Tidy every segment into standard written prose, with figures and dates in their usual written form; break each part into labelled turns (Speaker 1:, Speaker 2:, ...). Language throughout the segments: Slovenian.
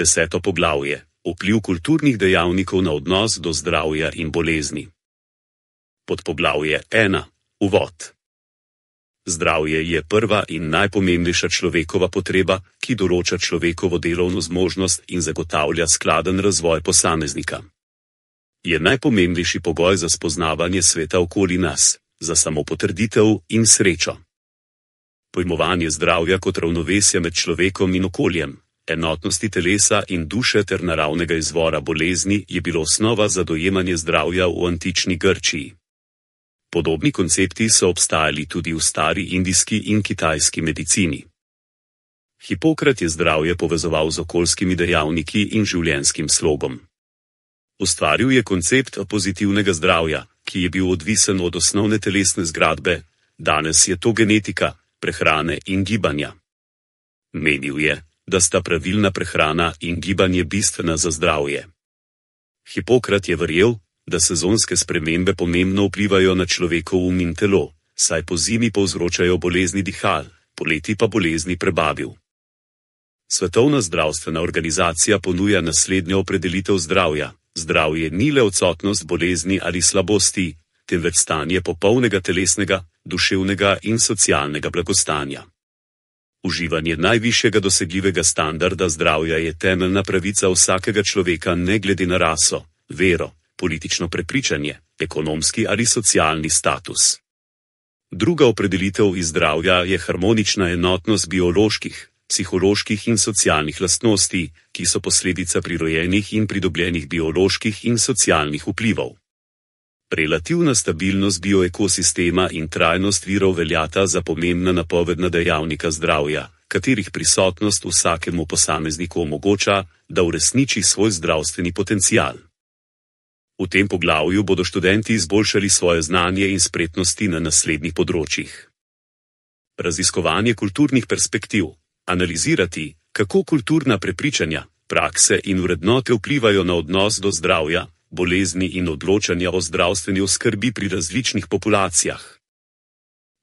Speaker 1: 10. poglavje. Vpliv kulturnih dejavnikov na odnos do zdravja in bolezni. Podpoglavje 1. Uvod. Zdravje je prva in najpomembnejša človekova potreba, ki določa človekovo delovno zmožnost in zagotavlja skladen razvoj posameznika. Je najpomembnejši pogoj za spoznavanje sveta okoli nas, za samopotrditev in srečo. Pojmovanje zdravja kot ravnovesja med človekom in okoljem, enotnosti telesa in duše ter naravnega izvora bolezni je bilo osnova za dojemanje zdravja v antični Grčiji. Podobni koncepti so obstajali tudi v stari indijski in kitajski medicini. Hipokrat je zdravje povezoval z okoljskimi dejavniki in življenjskim slogom. Ustvaril je koncept pozitivnega zdravja, ki je bil odvisen od osnovne telesne zgradbe, danes je to genetika, prehrane in gibanja. Menil je, da sta pravilna prehrana in gibanje bistvena za zdravje. Hipokrat je verjel, da sezonske spremembe pomembno vplivajo na človekov um in telo, saj po zimi povzročajo bolezni dihal, poleti pa bolezni prebavil. Svetovna zdravstvena organizacija ponuja naslednjo opredelitev zdravja. Zdravje ni le odsotnost bolezni ali slabosti, temveč stanje popolnega telesnega, duševnega in socialnega blagostanja. Uživanje najvišjega dosegljivega standarda zdravja je temeljna pravica vsakega človeka ne glede na raso, vero, politično prepričanje, ekonomski ali socialni status. Druga opredelitev iz zdravja je harmonična enotnost bioloških, psiholoških in socialnih lastnosti, ki so posledica prirojenih in pridobljenih bioloških in socialnih vplivov. Relativna stabilnost bioekosistema in trajnost virov veljata za pomembna napovedna dejavnika zdravja, katerih prisotnost vsakemu posamezniku omogoča, da uresniči svoj zdravstveni potencial. V tem poglavju bodo študenti izboljšali svoje znanje in spretnosti na naslednjih področjih. Raziskovanje kulturnih perspektiv. Analizirati, kako kulturna prepričanja, prakse in vrednote vplivajo na odnos do zdravja, bolezni in odločanja o zdravstveni oskrbi pri različnih populacijah.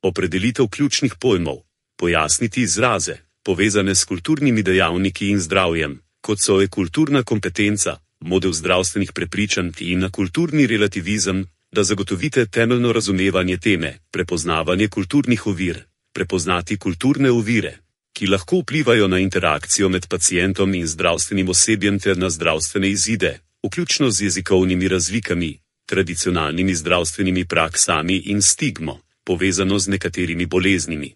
Speaker 1: Opredelitev ključnih pojmov, pojasniti izraze, povezane s kulturnimi dejavniki in zdravjem, kot so kulturna kompetenca, model zdravstvenih prepričanj in kulturni relativizem, da zagotovite temeljno razumevanje teme, prepoznavanje kulturnih ovir, prepoznati kulturne ovire, ki lahko vplivajo na interakcijo med pacientom in zdravstvenim osebjem ter na zdravstvene izide, vključno z jezikovnimi razlikami, tradicionalnimi zdravstvenimi praksami in stigmo, povezano z nekaterimi boleznimi.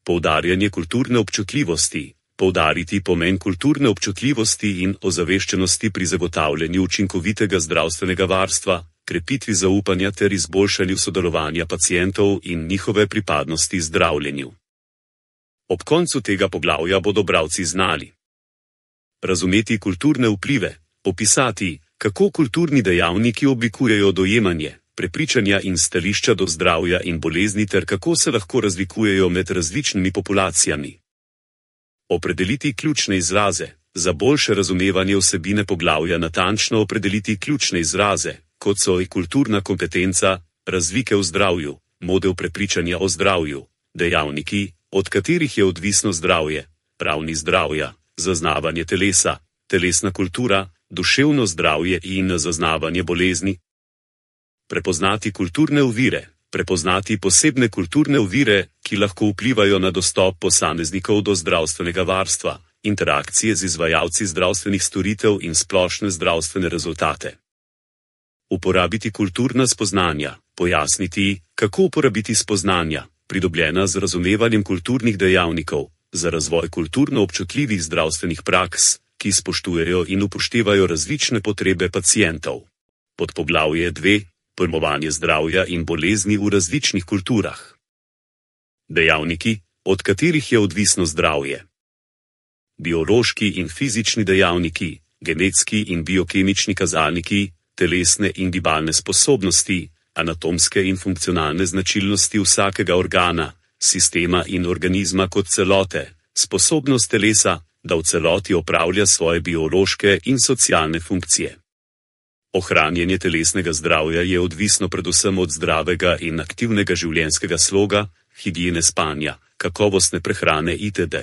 Speaker 1: Poudarjanje kulturne občutljivosti. Poudariti pomen kulturne občutljivosti in ozaveščenosti pri zagotavljanju učinkovitega zdravstvenega varstva, krepitvi zaupanja ter izboljšanju sodelovanja pacientov in njihove pripadnosti zdravljenju. Ob koncu tega poglavja bodo bralci znali razumeti kulturne vplive, opisati, kako kulturni dejavniki oblikujejo dojemanje, prepričanja in stališča do zdravja in bolezni ter kako se lahko razlikujejo med različnimi populacijami. Opredeliti ključne izraze. Za boljše razumevanje vsebine poglavja natančno opredeliti ključne izraze, kot so kulturna kompetenca, razlike v zdravju, model prepričanja o zdravju, dejavniki, od katerih je odvisno zdravje, ravni zdravja, zaznavanje telesa, telesna kultura, duševno zdravje in zaznavanje bolezni. Prepoznati kulturne ovire. Prepoznati posebne kulturne ovire, ki lahko vplivajo na dostop posameznikov do zdravstvenega varstva, interakcije z izvajalci zdravstvenih storitev in splošne zdravstvene rezultate. Uporabiti kulturna spoznanja. Pojasniti, kako uporabiti spoznanja, pridobljena z razumevanjem kulturnih dejavnikov, za razvoj kulturno občutljivih zdravstvenih praks, ki spoštujejo in upoštevajo različne potrebe pacientov. Podpoglavje 2. Pojmovanje zdravja in bolezni v različnih kulturah. Dejavniki, od katerih je odvisno zdravje. Biološki in fizični dejavniki, genetski in biokemični kazalniki, telesne in gibalne sposobnosti, anatomske in funkcionalne značilnosti vsakega organa, sistema in organizma kot celote, sposobnost telesa, da v celoti opravlja svoje biološke in socialne funkcije. Ohranjanje telesnega zdravja je odvisno predvsem od zdravega in aktivnega življenjskega sloga, higiene spanja, kakovostne prehrane itd.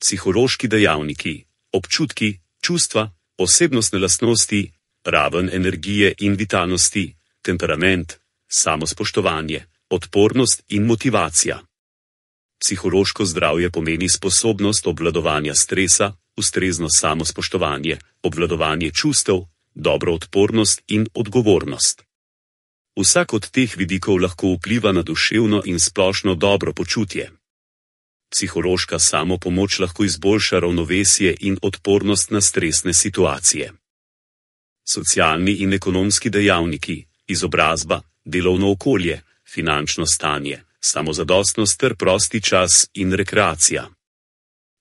Speaker 1: Psihološki dejavniki. občutki, čustva, osebnostne lastnosti, raven energije in vitalnosti, temperament, samospoštovanje, odpornost in motivacija. Psihološko zdravje pomeni sposobnost obvladovanja stresa, ustrezno samospoštovanje, obvladovanje čustev, dobro odpornost in odgovornost. Vsak od teh vidikov lahko vpliva na duševno in splošno dobro počutje. Psihološka samopomoč lahko izboljša ravnovesje in odpornost na stresne situacije. Socialni in ekonomski dejavniki, izobrazba, delovno okolje, finančno stanje, samozadostnost ter prosti čas in rekreacija.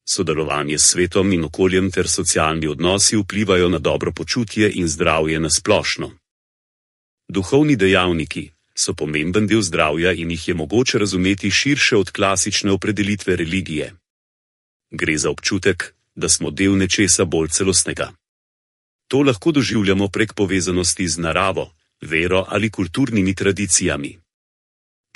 Speaker 1: Sodelovanje s svetom in okoljem ter socialni odnosi vplivajo na dobro počutje in zdravje na splošno. Duhovni dejavniki so pomemben del zdravja in jih je mogoče razumeti širše od klasične opredelitve religije. Gre za občutek, da smo del nečesa bolj celostnega. To lahko doživljamo prek povezanosti z naravo, vero ali kulturnimi tradicijami.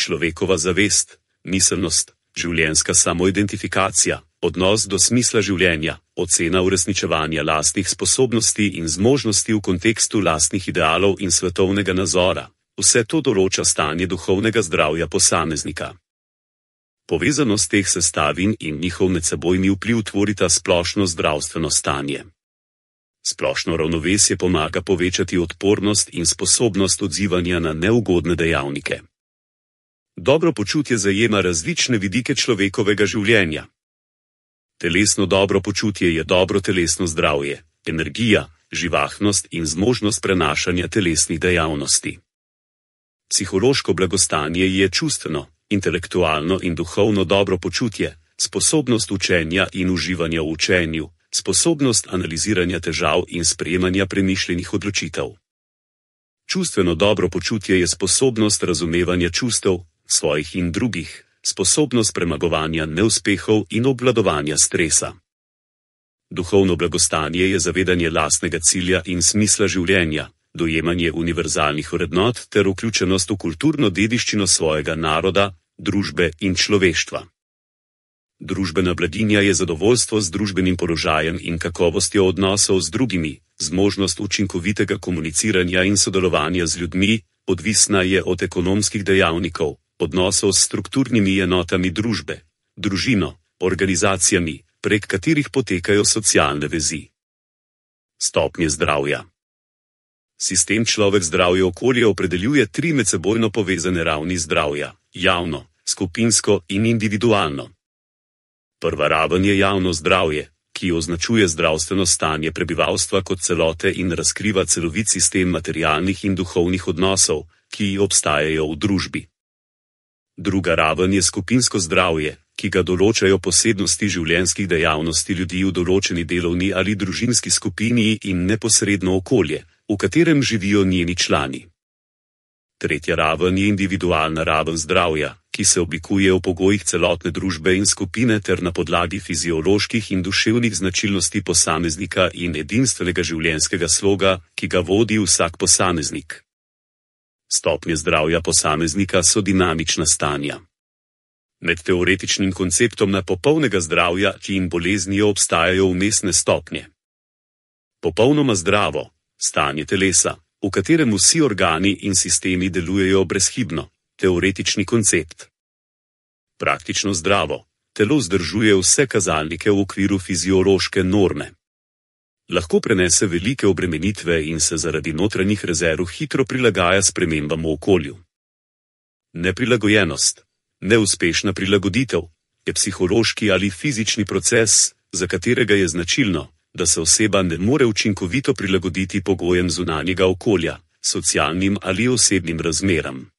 Speaker 1: Človekova zavest, miselnost, življenjska samoidentifikacija, odnos do smisla življenja, ocena uresničevanja lastnih sposobnosti in zmožnosti v kontekstu lastnih idealov in svetovnega nazora, vse to določa stanje duhovnega zdravja posameznika. Povezanost teh sestavin in njihov medsebojni vpliv tvorita splošno zdravstveno stanje. Splošno ravnovesje pomaga povečati odpornost in sposobnost odzivanja na neugodne dejavnike. Dobro počutje zajema različne vidike človekovega življenja. Telesno dobro počutje je dobro telesno zdravje, energija, živahnost in zmožnost prenašanja telesnih dejavnosti. Psihološko blagostanje je čustveno, intelektualno in duhovno dobro počutje, sposobnost učenja in uživanja v učenju, sposobnost analiziranja težav in sprejemanja premišljenih odločitev. Čustveno dobro počutje je sposobnost razumevanja čustev, svojih in drugih, sposobnost premagovanja neuspehov in obvladovanja stresa. Duhovno blagostanje je zavedanje lastnega cilja in smisla življenja, dojemanje univerzalnih vrednot ter vključenost v kulturno dediščino svojega naroda, družbe in človeštva. Družbena blaginja je zadovoljstvo z družbenim položajem in kakovostjo odnosov z drugimi, zmožnost učinkovitega komuniciranja in sodelovanja z ljudmi, odvisna je od ekonomskih dejavnikov, odnosov s strukturnimi enotami družbe, družino, organizacijami, prek katerih potekajo socialne vezi. Stopnje zdravja. Sistem človek zdravje okolje opredeljuje 3 medsebojno povezane ravni zdravja: javno, skupinsko in individualno. Prva raven je javno zdravje, ki označuje zdravstveno stanje prebivalstva kot celote in razkriva celovit sistem materialnih in duhovnih odnosov, ki obstajajo v družbi. Druga raven je skupinsko zdravje, ki ga določajo posebnosti življenjskih dejavnosti ljudi v določeni delovni ali družinski skupini in neposredno okolje, v katerem živijo njeni člani. Tretja raven je individualna raven zdravja, ki se oblikuje v pogojih celotne družbe in skupine ter na podlagi fizioloških in duševnih značilnosti posameznika in edinstvenega življenjskega sloga, ki ga vodi vsak posameznik. Stopnje zdravja posameznika so dinamična stanja. Med teoretičnim konceptom popolnega zdravja in boleznijo obstajajo vmesne stopnje. Popolnoma zdravo stanje telesa, v katerem vsi organi in sistemi delujejo brezhibno, teoretični koncept. Praktično zdravo telo vzdržuje vse kazalnike v okviru fiziološke norme. Lahko prenese velike obremenitve in se zaradi notranjih rezerv hitro prilagaja spremembam v okolju. Neprilagojenost, neuspešna prilagoditev, je psihološki ali fizični proces, za katerega je značilno, da se oseba ne more učinkovito prilagoditi pogojem zunanjega okolja, socialnim ali osebnim razmeram.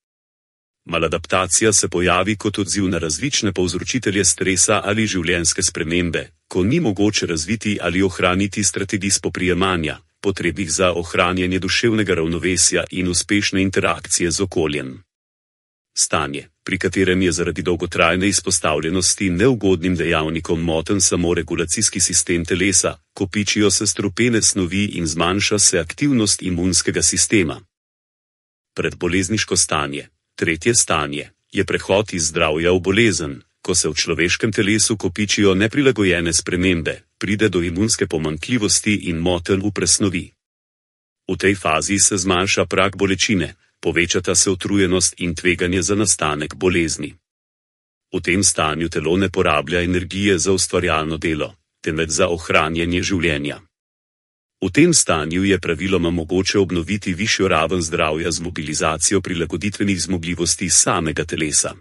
Speaker 1: Maladaptacija se pojavi kot odziv na različne povzročitelje stresa ali življenjske spremembe, ko ni mogoče razviti ali ohraniti strategij spoprijemanja, potrebnih za ohranjanje duševnega ravnovesja in uspešne interakcije z okoljem. Stanje, pri katerem je zaradi dolgotrajne izpostavljenosti neugodnim dejavnikom moten samo regulacijski sistem telesa, kopičijo se strupene snovi in zmanjša se aktivnost imunskega sistema. Predbolezniško stanje, tretje stanje, je prehod iz zdravja v bolezen, ko se v človeškem telesu kopičijo neprilagojene spremembe, pride do imunske pomanjkljivosti in motenj v presnovi. V tej fazi se zmanjša prag bolečine, povečata se utrujenost in tveganje za nastanek bolezni. V tem stanju telo ne porablja energije za ustvarjalno delo, temveč za ohranjanje življenja. V tem stanju je praviloma mogoče obnoviti višjo raven zdravja z mobilizacijo prilagoditvenih zmogljivosti samega telesa.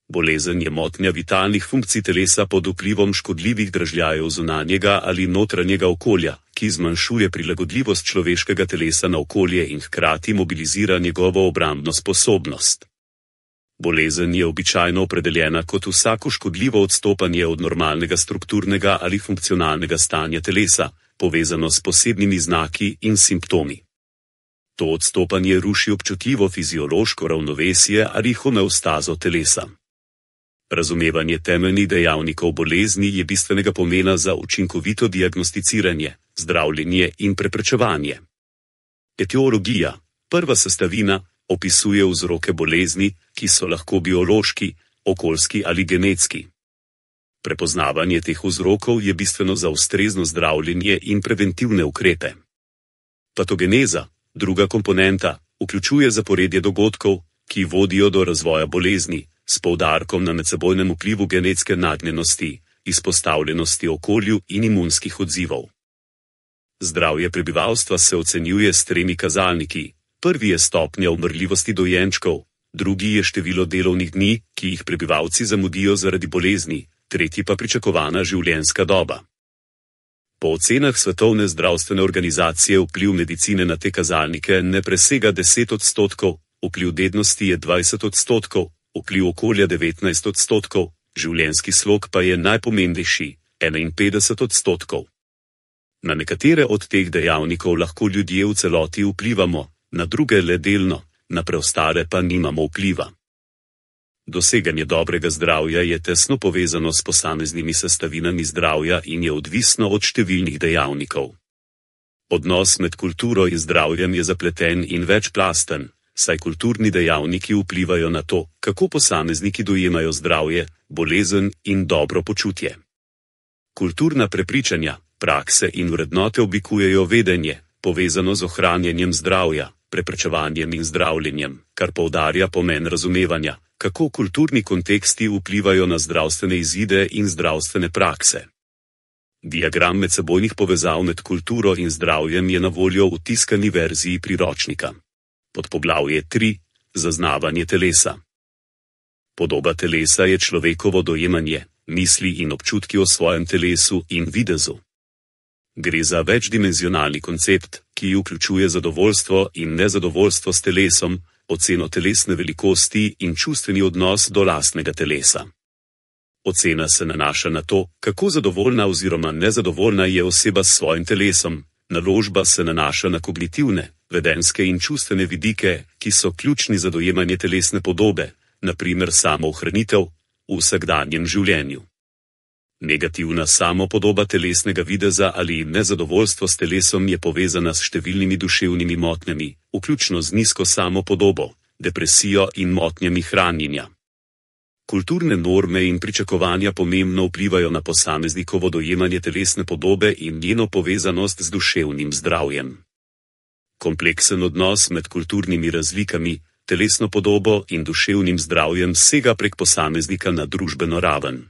Speaker 1: Bolezen je motnja vitalnih funkcij telesa pod vplivom škodljivih dražljajev zunanjega ali notranjega okolja, ki zmanjšuje prilagodljivost človeškega telesa na okolje in hkrati mobilizira njegovo obrambno sposobnost. Bolezen je običajno opredeljena kot vsako škodljivo odstopanje od normalnega strukturnega ali funkcionalnega stanja telesa, povezano s posebnimi znaki in simptomi. To odstopanje ruši občutljivo fiziološko ravnovesje ali homeostazo telesa. Razumevanje temeljnih dejavnikov bolezni je bistvenega pomena za učinkovito diagnosticiranje, zdravljenje in preprečevanje. Etiologija, prva sestavina, opisuje vzroke bolezni, ki so lahko biološki, okoljski ali genetski. Prepoznavanje teh vzrokov je bistveno za ustrezno zdravljenje in preventivne ukrepe. Patogeneza, druga komponenta, vključuje zaporedje dogodkov, ki vodijo do razvoja bolezni, s poudarkom na medsebojnem vplivu genetske nagnjenosti, izpostavljenosti okolju in imunskih odzivov. Zdravje prebivalstva se ocenjuje s 3 kazalniki. Prvi je stopnja umrljivosti dojenčkov, drugi je število delovnih dni, ki jih prebivalci zamudijo zaradi bolezni, tretji pa pričakovana življenjska doba. Po ocenah Svetovne zdravstvene organizacije vpliv medicine na te kazalnike ne presega 10%, vpliv dednosti je 20%, vpliv okolja 19%, življenjski slog pa je najpomembnejši, 51%. Na nekatere od teh dejavnikov lahko ljudje v celoti vplivamo, na druge le delno, na preostale pa nimamo vpliva. Doseganje dobrega zdravja je tesno povezano s posameznimi sestavinami zdravja in je odvisno od številnih dejavnikov. Odnos med kulturo in zdravjem je zapleten in večplasten, saj kulturni dejavniki vplivajo na to, kako posamezniki dojemajo zdravje, bolezen in dobro počutje. Kulturna prepričanja, prakse in vrednote oblikujejo vedenje, povezano z ohranjanjem zdravja, preprečevanjem in zdravljenjem, kar poudarja pomen razumevanja, kako kulturni konteksti vplivajo na zdravstvene izide in zdravstvene prakse. Diagram medsebojnih povezav med kulturo in zdravjem je na voljo v tiskani verziji priročnika. Podpoglavje 3. Zaznavanje telesa. Podoba telesa je človekovo dojemanje, misli in občutki o svojem telesu in videzu. Gre za večdimenzionalni koncept, ki vključuje zadovoljstvo in nezadovoljstvo s telesom, oceno telesne velikosti in čustveni odnos do lastnega telesa. Ocena se nanaša na to, kako zadovoljna oziroma nezadovoljna je oseba s svojim telesom, naložba se nanaša na kognitivne, vedenjske in čustvene vidike, ki so ključni za dojemanje telesne podobe, na primer samoohranitev v vsakdanjem življenju. Negativna samopodoba telesnega videza ali nezadovoljstvo s telesom je povezana s številnimi duševnimi motnjami, vključno z nizko samopodobo, depresijo in motnjami hranjenja. Kulturne norme in pričakovanja pomembno vplivajo na posameznikovo dojemanje telesne podobe in njeno povezanost z duševnim zdravjem. Kompleksen odnos med kulturnimi razlikami, telesno podobo in duševnim zdravjem sega prek posameznika na družbeno raven.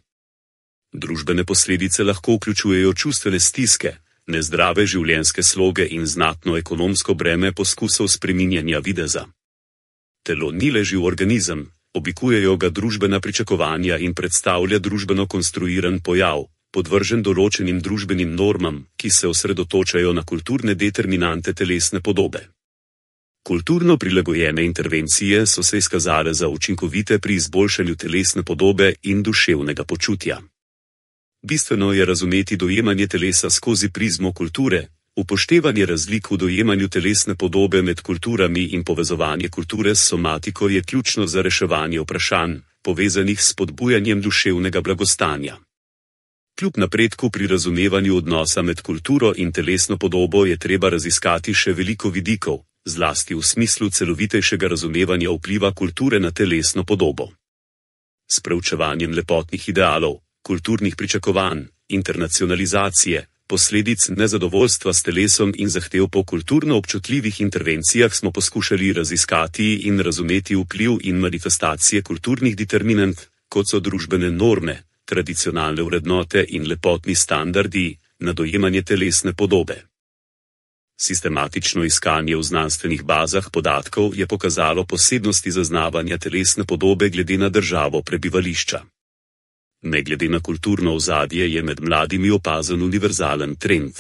Speaker 1: Družbene posledice lahko vključujejo čustvene stiske, nezdrave življenjske sloge in znatno ekonomsko breme poskusov spreminjanja videza. Telo ni le živ organizem, oblikujejo ga družbena pričakovanja in predstavlja družbeno konstruiran pojav, podvržen določenim družbenim normam, ki se osredotočajo na kulturne determinante telesne podobe. Kulturno prilagojene intervencije so se izkazale za učinkovite pri izboljšanju telesne podobe in duševnega počutja. Bistveno je razumeti dojemanje telesa skozi prizmo kulture, upoštevanje razlik v dojemanju telesne podobe med kulturami in povezovanje kulture s somatiko je ključno za reševanje vprašanj, povezanih s spodbujanjem duševnega blagostanja. Kljub napredku pri razumevanju odnosa med kulturo in telesno podobo je treba raziskati še veliko vidikov, zlasti v smislu celovitejšega razumevanja vpliva kulture na telesno podobo. S preučevanjem lepotnih idealov, kulturnih pričakovanj, internacionalizacije, posledic nezadovoljstva s telesom in zahtev po kulturno občutljivih intervencijah smo poskušali raziskati in razumeti vpliv in manifestacije kulturnih determinant, kot so družbene norme, tradicionalne vrednote in lepotni standardi, na dojemanje telesne podobe. Sistematično iskanje v znanstvenih bazah podatkov je pokazalo posebnosti zaznavanja telesne podobe glede na državo prebivališča. Ne glede na kulturno ozadje je med mladimi opazen univerzalen trend.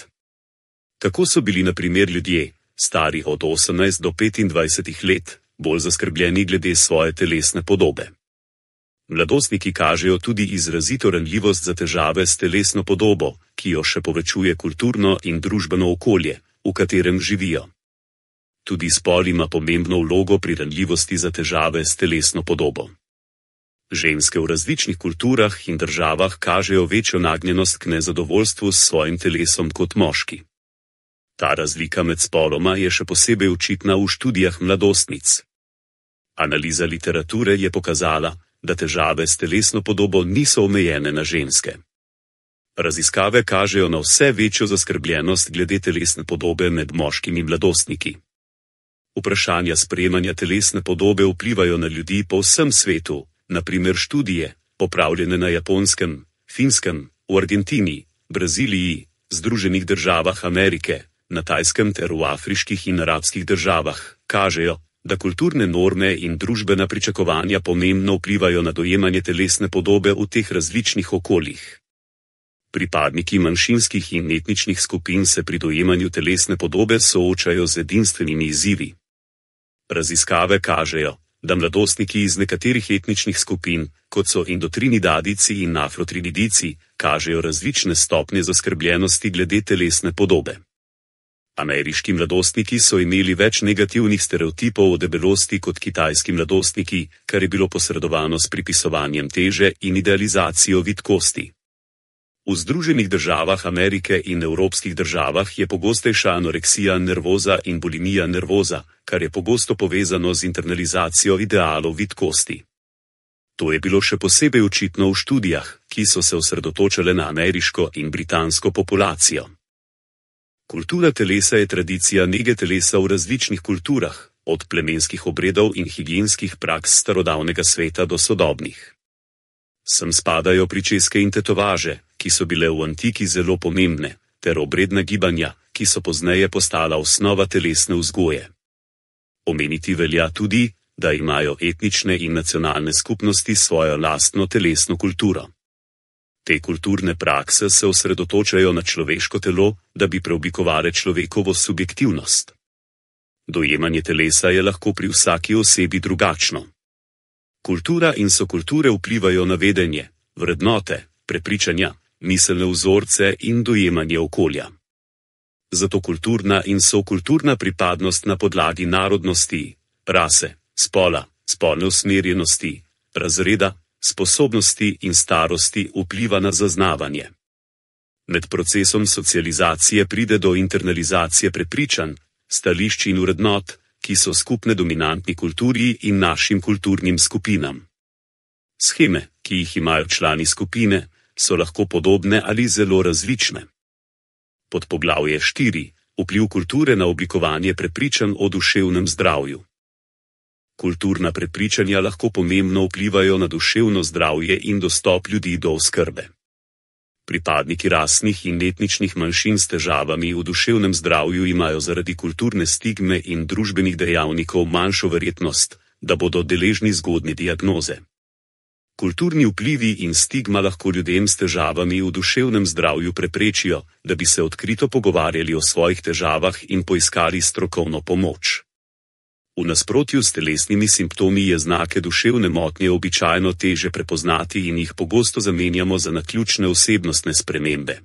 Speaker 1: Tako so bili na primer ljudje, stari od 18 do 25 let, bolj zaskrbljeni glede svoje telesne podobe. Mladostniki kažejo tudi izrazito ranljivost za težave s telesno podobo, ki jo še povečuje kulturno in družbeno okolje, v katerem živijo. Tudi spol ima pomembno vlogo pri ranljivosti za težave s telesno podobo. Ženske v različnih kulturah in državah kažejo večjo nagnjenost k nezadovoljstvu s svojim telesom kot moški. Ta razlika med spoloma je še posebej očitna v študijah mladostnic. Analiza literature je pokazala, da težave s telesno podobo niso omejene na ženske. Raziskave kažejo na vse večjo zaskrbljenost glede telesne podobe med moškimi mladostniki. Vprašanja sprejemanja telesne podobe vplivajo na ljudi po vsem svetu, na primer študije, opravljene na Japonskem, Finskem, v Argentini, Braziliji, Združenih državah Amerike, na Tajskem ter v afriških in arabskih državah, kažejo, da kulturne norme in družbena pričakovanja pomembno vplivajo na dojemanje telesne podobe v teh različnih okoljih. Pripadniki manjšinskih in etničnih skupin se pri dojemanju telesne podobe soočajo z edinstvenimi izzivi. Raziskave kažejo, da mladostniki iz nekaterih etničnih skupin, kot so indotrinidadici in afrotrinidijci, kažejo različne stopnje zaskrbljenosti glede telesne podobe. Ameriški mladostniki so imeli več negativnih stereotipov o debelosti kot kitajski mladostniki, kar je bilo posredovano s pripisovanjem teže in idealizacijo vitkosti. V Združenih državah Amerike in evropskih državah je pogostejša anoreksija nervoza in bulimija nervoza, kar je pogosto povezano z internalizacijo idealov vitkosti. To je bilo še posebej očitno v študijah, ki so se osredotočale na ameriško in britansko populacijo. Kultura telesa je tradicija nege telesa v različnih kulturah, od plemenskih obredov in higienskih praks starodavnega sveta do sodobnih. Sem spadajo pričeske in tetovaže, ki so bile v antiki zelo pomembne, ter obredna gibanja, ki so pozneje postala osnova telesne vzgoje. Omeniti velja tudi, da imajo etnične in nacionalne skupnosti svojo lastno telesno kulturo. Te kulturne prakse se osredotočajo na človeško telo, da bi preoblikovale človekovo subjektivnost. Dojemanje telesa je lahko pri vsaki osebi drugačno. Kultura in sokulture vplivajo na vedenje, vrednote, prepričanja, miselne vzorce in dojemanje okolja. Zato kulturna in sokulturna pripadnost na podlagi narodnosti, rase, spola, spolne usmerjenosti, razreda, sposobnosti in starosti vpliva na zaznavanje. Med procesom socializacije pride do internalizacije prepričanj, stališč in vrednot, ki so skupne dominantni kulturi in našim kulturnim skupinam. Sheme, ki jih imajo člani skupine, so lahko podobne ali zelo različne. Podpoglavje 4. Vpliv kulture na oblikovanje prepričanj o duševnem zdravju. Kulturna prepričanja lahko pomembno vplivajo na duševno zdravje in dostop ljudi do oskrbe. Pripadniki rasnih in etničnih manjšin s težavami v duševnem zdravju imajo zaradi kulturne stigme in družbenih dejavnikov manjšo verjetnost, da bodo deležni zgodnje diagnoze. Kulturni vplivi in stigma lahko ljudem s težavami v duševnem zdravju preprečijo, da bi se odkrito pogovarjali o svojih težavah in poiskali strokovno pomoč. V nasprotju s telesnimi simptomi je znake duševne motnje običajno teže prepoznati in jih pogosto zamenjamo za naključne osebnostne spremembe.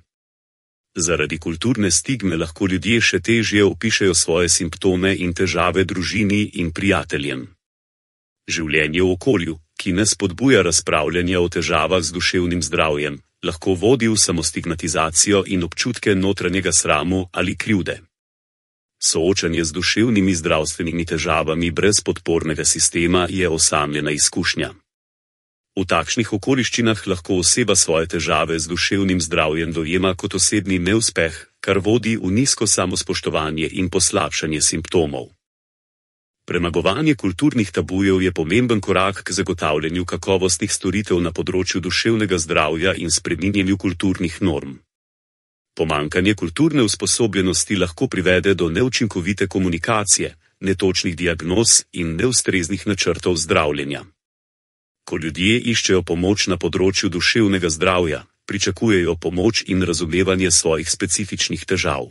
Speaker 1: Zaradi kulturne stigme lahko ljudje še težje opišejo svoje simptome in težave družini in prijateljem. Življenje v okolju, ki ne spodbuja razpravljanja o težavah z duševnim zdravjem, lahko vodi v samostigmatizacijo in občutke notranjega sramu ali krivde. Soočanje z duševnimi zdravstvenimi težavami brez podpornega sistema je osamljena izkušnja. V takšnih okoliščinah lahko oseba svoje težave z duševnim zdravjem dojema kot osebni neuspeh, kar vodi v nizko samospoštovanje in poslabšanje simptomov. Premagovanje kulturnih tabujev je pomemben korak k zagotavljanju kakovostnih storitev na področju duševnega zdravja in spreminjanju kulturnih norm. Pomanjkanje kulturne usposobljenosti lahko privede do neučinkovite komunikacije, netočnih diagnoz in neustreznih načrtov zdravljenja. Ko ljudje iščejo pomoč na področju duševnega zdravja, pričakujejo pomoč in razumevanje svojih specifičnih težav.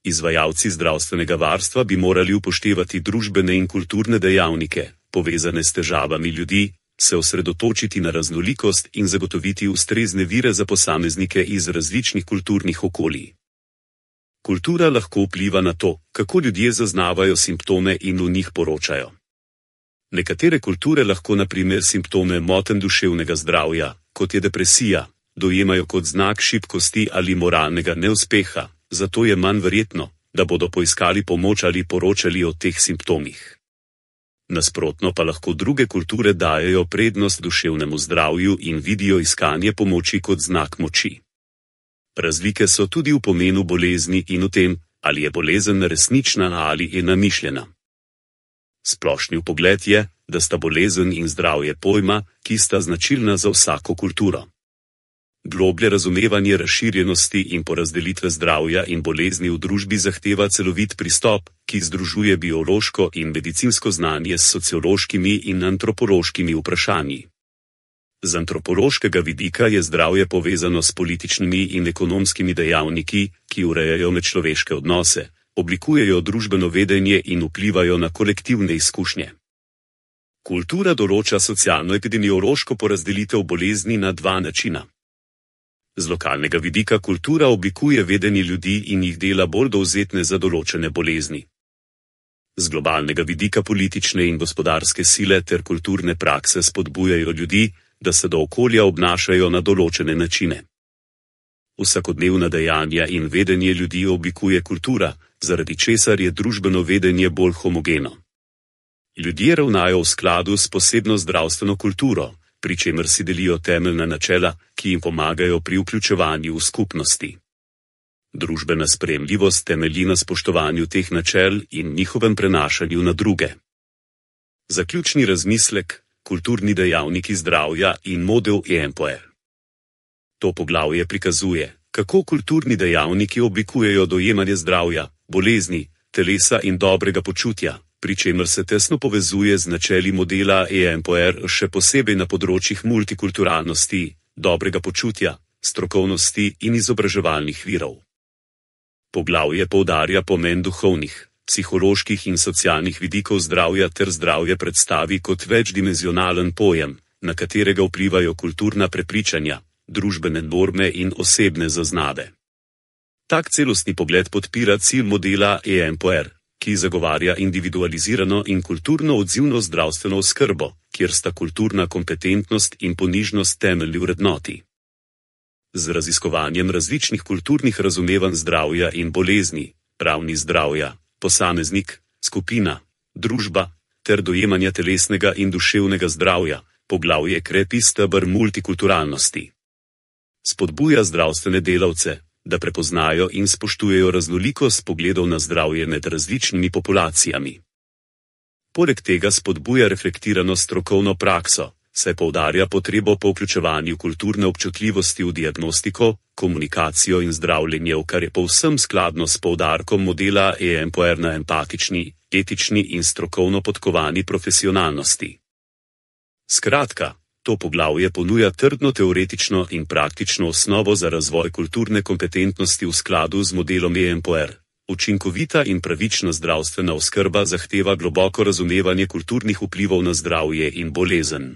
Speaker 1: Izvajalci zdravstvenega varstva bi morali upoštevati družbene in kulturne dejavnike, povezane s težavami ljudi, se osredotočiti na raznolikost in zagotoviti ustrezne vire za posameznike iz različnih kulturnih okolij. Kultura lahko vpliva na to, kako ljudje zaznavajo simptome in o njih poročajo. Nekatere kulture lahko na primer simptome motenj duševnega zdravja, kot je depresija, dojemajo kot znak šibkosti ali moralnega neuspeha, zato je manj verjetno, da bodo poiskali pomoč ali poročali o teh simptomih. Nasprotno pa lahko druge kulture dajejo prednost duševnemu zdravju in vidijo iskanje pomoči kot znak moči. Razlike so tudi v pomenu bolezni in v tem, ali je bolezen resnična ali je namišljena. Splošni vpogled je, da sta bolezen in zdravje pojma, ki sta značilna za vsako kulturo. Globlje razumevanje razširjenosti in porazdelitve zdravja in bolezni v družbi zahteva celovit pristop, ki združuje biološko in medicinsko znanje s sociološkimi in antropološkimi vprašanji. Z antropološkega vidika je zdravje povezano s političnimi in ekonomskimi dejavniki, ki urejajo medčloveške odnose, oblikujejo družbeno vedenje in vplivajo na kolektivne izkušnje. Kultura določa socialno-epidemiološko porazdelitev bolezni na dva načina. Z lokalnega vidika kultura oblikuje vedenje ljudi in jih dela bolj dovzetne za določene bolezni. Z globalnega vidika politične in gospodarske sile ter kulturne prakse spodbujajo ljudi, da se do okolja obnašajo na določene načine. Vsakodnevna dejanja in vedenje ljudi oblikuje kultura, zaradi česar je družbeno vedenje bolj homogeno. Ljudje ravnajo v skladu s posebno zdravstveno kulturo, pri čemer si delijo temeljna načela, ki jim pomagajo pri vključevanju v skupnosti. Družbena sprejemljivost temelji na spoštovanju teh načel in njihovem prenašanju na druge. Zaključni razmislek: kulturni dejavniki zdravja in model EMPOE. To poglavje prikazuje, kako kulturni dejavniki oblikujejo dojemanje zdravja, bolezni, telesa in dobrega počutja, pri čemer se tesno povezuje z načeli modela EMPOE, še posebej na področjih multikulturalnosti, dobrega počutja, strokovnosti in izobraževalnih virov. Poglavje poudarja pomen duhovnih, psiholoških in socialnih vidikov zdravja ter zdravje predstavi kot večdimenzionalen pojem, na katerega vplivajo kulturna prepričanja, družbene norme in osebne zaznave. Tak celostni pogled podpira cilj modela EMPOE, ki zagovarja individualizirano in kulturno odzivno zdravstveno oskrbo, kjer sta kulturna kompetentnost in ponižnost temeljni vrednoti. Z raziskovanjem različnih kulturnih razumevanj zdravja in bolezni, ravni zdravja, posameznik, skupina, družba, ter dojemanja telesnega in duševnega zdravja, poglavje krepi steber multikulturalnosti. Spodbuja zdravstvene delavce, da prepoznajo in spoštujejo raznolikost pogledov na zdravje med različnimi populacijami. Poleg tega spodbuja reflektirano strokovno prakso, saj poudarja potrebo po vključevanju kulturne občutljivosti v diagnostiko, komunikacijo in zdravljenje, kar je povsem skladno s poudarkom modela EMPOE na empatični, etični in strokovno podkovani profesionalnosti. Skratka, to poglavje ponuja trdno teoretično in praktično osnovo za razvoj kulturne kompetentnosti v skladu z modelom EMPOE. Učinkovita in pravična zdravstvena oskrba zahteva globoko razumevanje kulturnih vplivov na zdravje in bolezen.